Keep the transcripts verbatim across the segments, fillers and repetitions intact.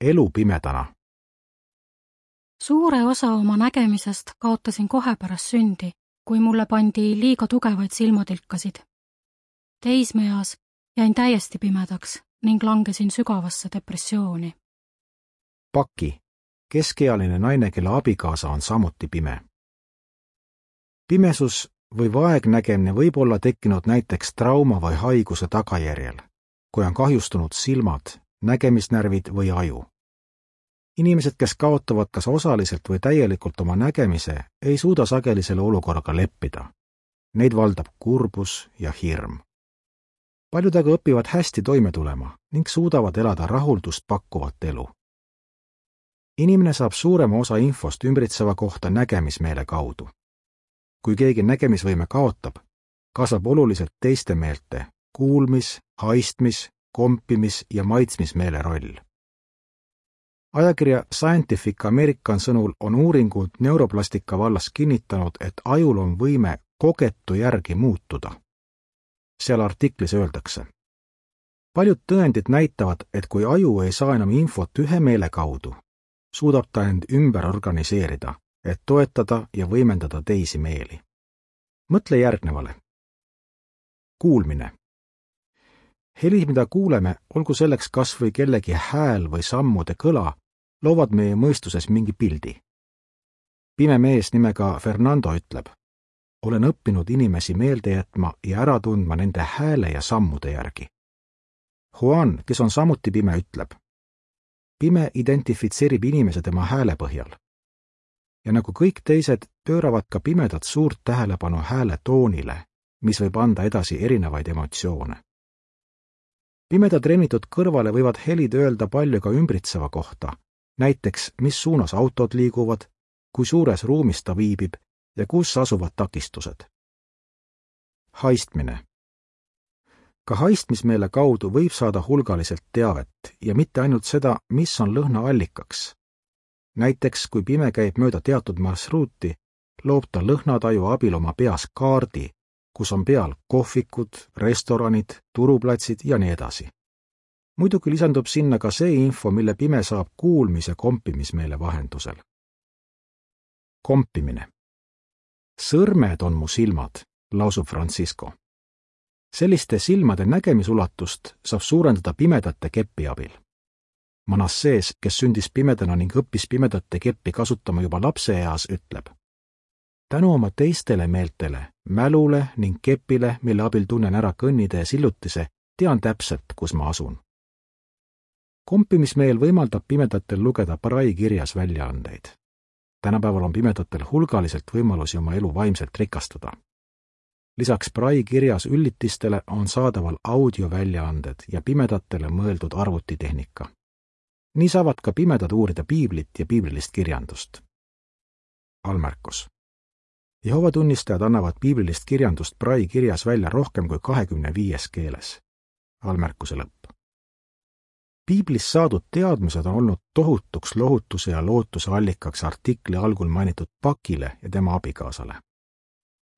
elu pimedana. Suure osa oma nägemisest kaotasin kohe pärast sündi, kui mulle pandi liiga tugevaid silmatilkasid. Teismeeas jäin täiesti pimedaks ning langesin sügavasse depressiooni. Paki, keskealine naine, kelle abikaasa on samuti pime. Pimesus või vaegnägemine võib olla tekkinud näiteks trauma või haiguse tagajärjel, kui on kahjustunud silmad, nägemisnärvid või aju. Inimesed, kes kaotavad kas osaliselt või täielikult oma nägemise, ei suuda sageli selle olukorraga leppida. Neid valdab kurbus ja hirm. Paljud aga õpivad hästi toime tulema ning suudavad elada rahuldust pakkuvat elu. Inimene saab suurema osa infost ümbritseva kohta nägemismeele kaudu. Kui keegi nägemisvõime kaotab, kasvab oluliselt teiste meelte kuulmis, haistmis, kompimis ja maitsmismeele roll. Ajakirja Scientific American sõnul on uuringud neuroplastika vallas kinnitanud, et ajul on võime kogetu järgi muutuda. Seal artiklis öeldakse: paljud tõendid näitavad, et kui aju ei saa enam infot ühe meele kaudu, suudab ta end ümber organiseerida, et toetada ja võimendada teisi meeli. Mõtle järgnevale. Kuulmine. Helid, mida kuuleme, olgu selleks kas või kellegi hääl või sammude kõla, loovad meie mõistuses mingi pildi. Pime mees nimega Fernando ütleb: olen õppinud inimesi meelde jätma ja ära tundma nende hääle ja sammude järgi. Juan, kes on samuti pime, ütleb: pime identifitseerib inimese tema hääle põhjal. Ja nagu kõik teised, pööravad ka pimedad suurt tähelepanu hääle toonile, mis võib anda edasi erinevaid emotsioone. Pimeda treenitud kõrvale võivad helid öelda palju ka ümbritseva kohta, näiteks mis suunas autod liiguvad, kui suures ruumis ta viibib ja kus asuvad takistused. Haistmine. Ka haistmismeele kaudu võib saada hulgaliselt teavet ja mitte ainult seda, mis on lõhna allikaks. Näiteks, kui pime käib mööda teatud marsruuti, loob ta lõhnataju abil oma peas kaardi, kus on peal kohvikud, restoranid, turuplatsid ja nii edasi. Muidugi lisandub sinna ka see info, mille pime saab kuulmis- ja kompimismeele vahendusel. Kompimine. Sõrmed on mu silmad, lausub Francisco. Selliste silmade nägemisulatust saab suurendada pimedate keppi abil. Manassees, kes sündis pimedana ning õppis pimedate keppi kasutama juba lapseeas, ütleb: tänu oma teistele meeltele, mälule ning kepile, mille abil tunnen ära kõnnitee sillutise, tean täpselt, kus ma asun. Kompimismeel võimaldab pimedatel lugeda Braille kirjas väljaandeid. Tänapäeval on pimedatel hulgaliselt võimalusi oma elu vaimselt rikastada. Lisaks Braille kirjas üllitistele on saadaval audioväljaanded ja pimedatele mõeldud arvutitehnika. Nii saavad ka pimedad uurida piiblit ja piiblilist kirjandust. Almärkus. Jehova tunnistajad annavad piiblilist kirjandust Braille kirjas välja rohkem kui kahekümne viies keeles. Almärkuse lõpp. Piiblis saadud teadmised on olnud tohutuks lohutuse ja lootuse allikaks artikli algul mainitud Pakile ja tema abikaasale.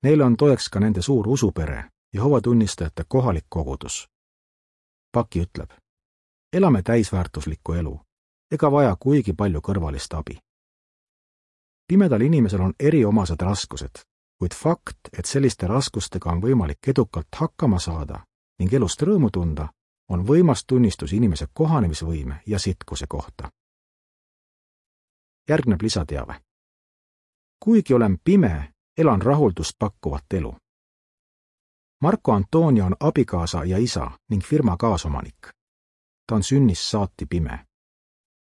Neile on toeks ka nende suur usupere, Jehova tunnistajate kohalik kogudus. Paki ütleb: elame täisväärtuslikku elu, ega vaja kuigi palju kõrvalist abi. Pimedal inimesel on eriomased raskused, kuid fakt, et selliste raskustega on võimalik edukalt hakkama saada ning elust rõõmu tunda, on võimas tunnistus inimese kohanemisvõime ja sitkuse kohta. Järgneb lisateave. Kuigi olen pime, elan rahuldust pakkuvat elu. Marco Antonio on abikaasa ja isa ning firma kaasomanik. Ta on sünnist saati pime.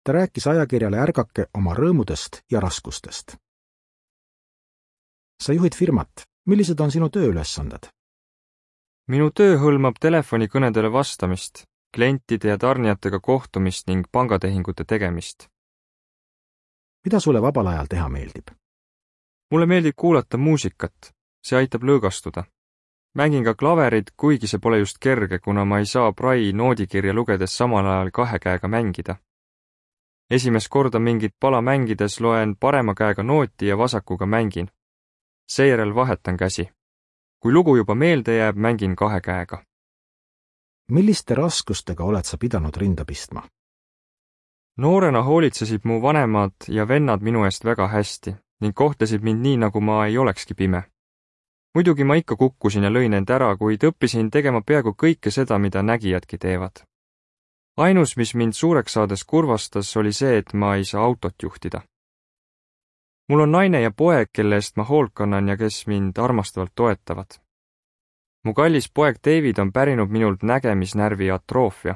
Ta rääkis ajakirjale Ärgake oma rõõmudest ja raskustest. Sa juhid firmat. Millised on sinu tööülesanded? Minu töö hõlmab telefonikõnedele vastamist, klientide ja tarnijatega kohtumist ning pangatehingute tegemist. Mida sulle vabal ajal teha meeldib? Mulle meeldib kuulata muusikat, see aitab lõõgastuda. Mängin ka klaverid, kuigi see pole just kerge, kuna ma ei saa Braille noodikirja lugedes samal ajal kahe käega mängida. Esimest korda mingit pala mängides loen parema käega nooti ja vasakuga mängin. Seejärel vahetan käsi. Kui lugu juba meelde jääb, mängin kahe käega. Milliste raskustega oled sa pidanud rinda pistma? noorena hoolitsesid mu vanemad ja vennad minu eest väga hästi ning kohtlesid mind nii, nagu ma ei olekski pime. Muidugi ma ikka kukkusin ja lõin end ära, kuid õppisin tegema peaaegu kõike seda, mida nägijadki teevad. Ainus, mis mind suureks saades kurvastas, oli see, et ma ei saa autot juhtida. Mul on naine ja poeg, kelle eest ma hoolt kannan ja kes mind armastavalt toetavad. Mu kallis poeg David on pärinud minult nägemisnärvi atroofia,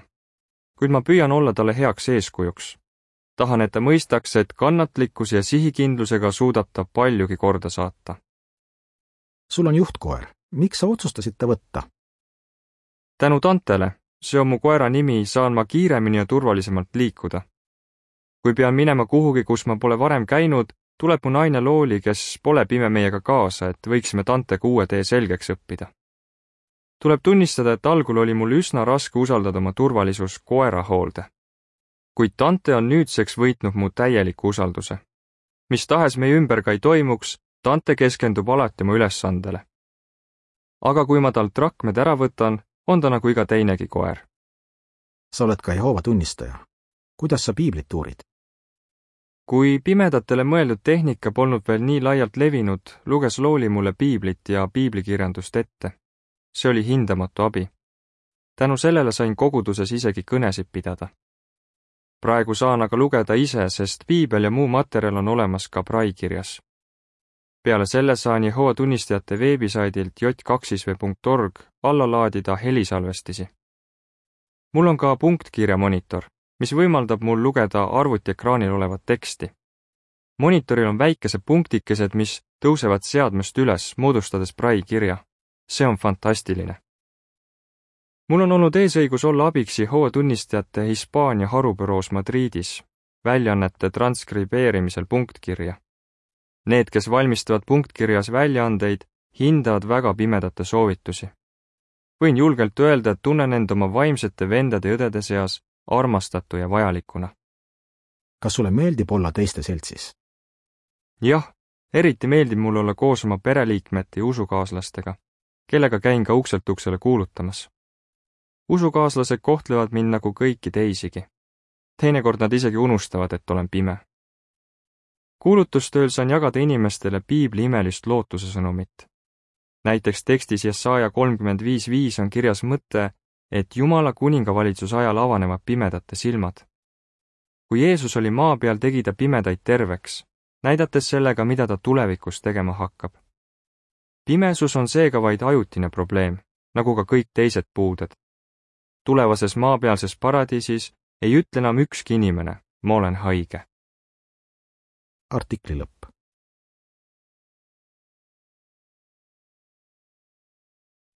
kuid ma püüan olla talle heaks eeskujuks. Tahan, et ta mõistaks, et kannatlikkus ja sihikindlusega suudab ta paljugi korda saata. Sul on juhtkoer. Miks sa otsustasid ta võtta? Tänu Tantele, see on mu koera nimi, saan ma kiiremini ja turvalisemalt liikuda. Kui pean minema kuhugi, kus ma pole varem käinud, tuleb mu naine Looli, kes pole pime meiega kaasa, et võiksime Tantega uue tee selgeks õppida. Tuleb tunnistada, et algul oli mul üsna raske usaldada oma turvalisus koera hoolde. Kuid Tante on nüüdseks võitnud mu täieliku usalduse. Mis tahes meie ümber ka ei toimuks, Tante keskendub alati mu ülesandele. Aga kui ma talt rakmed ära võtan, on ta nagu iga teinegi koer. Sa oled ka Jehoova tunnistaja. Kuidas sa piiblit uurid? Kui pimedatele mõeldud tehnika polnud veel nii laialt levinud, luges Looli mulle piiblit ja piiblikirjandust ette. See oli hindamatu abi. Tänu sellele sain koguduses isegi kõnesid pidada. Praegu saan aga lugeda ise, sest piibel ja muu materjal on olemas ka braikirjas. Peale selle saan Jehova tunnistajate veebisaidilt j kaks v punkt org alla laadida helisalvestisi. Mul on ka punktkirja monitor, mis võimaldab mul lugeda arvutiekraanil olevat teksti. Monitoril on väikesed punktikesed, mis tõusevad seadmest üles, moodustades braikirja. See on fantastiline. Mul on olnud eesõigus olla abiks Jehova tunnistajate Hispaania harubüroos Madridis, väljaannete transkribeerimisel punktkirja. Need, kes valmistavad punktkirjas väljaandeid, hindavad väga pimedate soovitusi. Võin julgelt öelda, et tunnen end oma vaimsete vendade ja õdede seas armastatu ja vajalikuna. Kas sulle meeldib olla teiste seltsis? Jah, eriti meeldib mul olla koos oma pereliikmete ja usukaaslastega, kellega käin ka ukselt uksele kuulutamas. Usukaaslased kohtlevad mind nagu kõiki teisigi. Teinekord nad isegi unustavad, et olen pime. Kuulutustööl saan jagada inimestele piibli imelist lootuse sõnumit. Näiteks tekstis Jesaja kolmkümmend viis viis on kirjas mõte, et Jumala kuningavalitsuse ajal avanevad pimedate silmad. Kui Jeesus oli maa peal, tegi ta pimedaid terveks, näidates sellega, mida ta tulevikus tegema hakkab. Pimesus on seega vaid ajutine probleem, nagu ka kõik teised puuded. Tulevases maapealses paradiisis ei ütle enam ükski inimene, ma olen haige. Artikli lõpp.